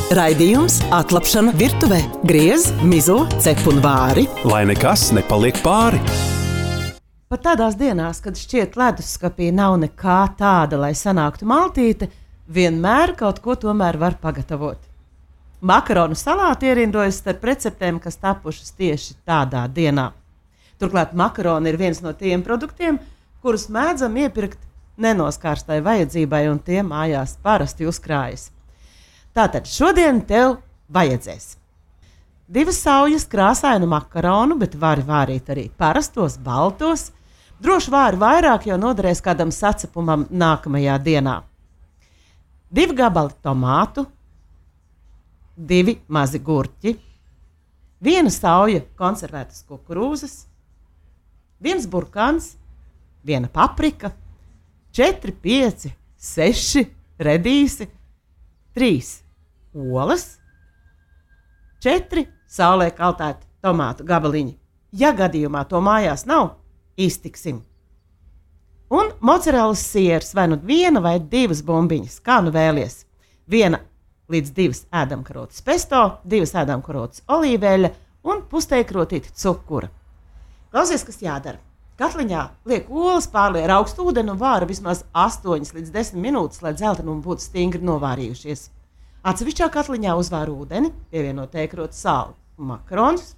Raidījums Atlapšana virtuvē. Griez, mizo, cep un vāri. Lai nekas nepaliek pāri. Pat tādās dienās, kad šķiet leduskapī nav nekā tāda, lai sanāktu maltīte, vienmēr kaut ko tomēr var pagatavot. Makaronu salāti ierindojas starp receptēm, kas tapušas tieši tādā dienā. Turklāt makaroni ir viens no tiem produktiem, kurus mēdzam iepirkt nenoskārstai vajadzībai, un tie mājās parasti uzkrājas. Tātad šodien tev vajadzēs 2 saujas krāsainu makaronu, bet vari vārīt arī parastos, baltos. Droši vāri vairāk, jo noderēs kādam sacepumam nākamajā dienā. 2 gabali tomātu, 2 mazi gurķi, 1 sauja konservētas kukurūzas, 1 burkāns, 1 paprika, 4, 5, 6 redīsi, 3 olas, 4 saulē kaltēti tomātu gabaliņi. Ja gadījumā to mājās nav, iztiksim. Un mocarelas siers, vai nu 1 vai 2 bumbiņas, kā nu vēlies. 1 līdz 2 ēdamkarotes pesto, 2 ēdamkarotes olīveļa un pusteikrotīti cukura. Klausies, kas jādara. Katliņā liek olas, pārlej ar augstu ūdeni un vāra vismaz 8 līdz 10 minūtes, lai dzeltenumi būtu stingri novārījušies. Atsevišķā katliņā uzvāra ūdeni, pievienot teikrotu sāli un makaronus.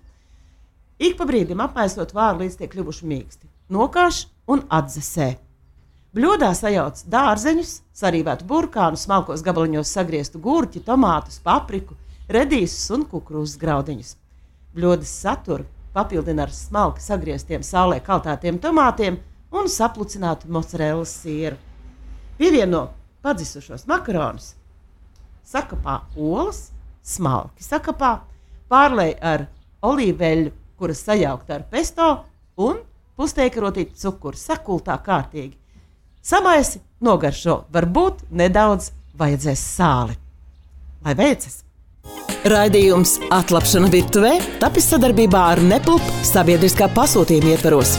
Ik pa brīdim apmaisot vāru, līdz tiek kļuvuši mīksti. Nokāš un atdzesē. Bļodā sajauc dārzeņus, sarīvētu burkānu, smalkos gabaliņos sagrieztu gurķi, tomātus, papriku, redīsus un kukurūzas graudiņus. Bļodas saturu papildina ar smalki sagrieztiem saulē kaltētiem tomātiem un saplucinātu mocarelas sieru. Pievieno padzisušos makaronus, sakapā olas, smalki sakapā, pārlej ar olīveļu, kuras sajaukta ar pesto un pusteikrotīti cukuru, sakultā kārtīgi. Samaisi, nogaršo, varbūt nedaudz vajadzēs sāli. Lai veicas! Raidījums Atlapšana virtuvē tapis sadarbībā ar Nepulp sabiedriskā pasūtījuma ietvaros.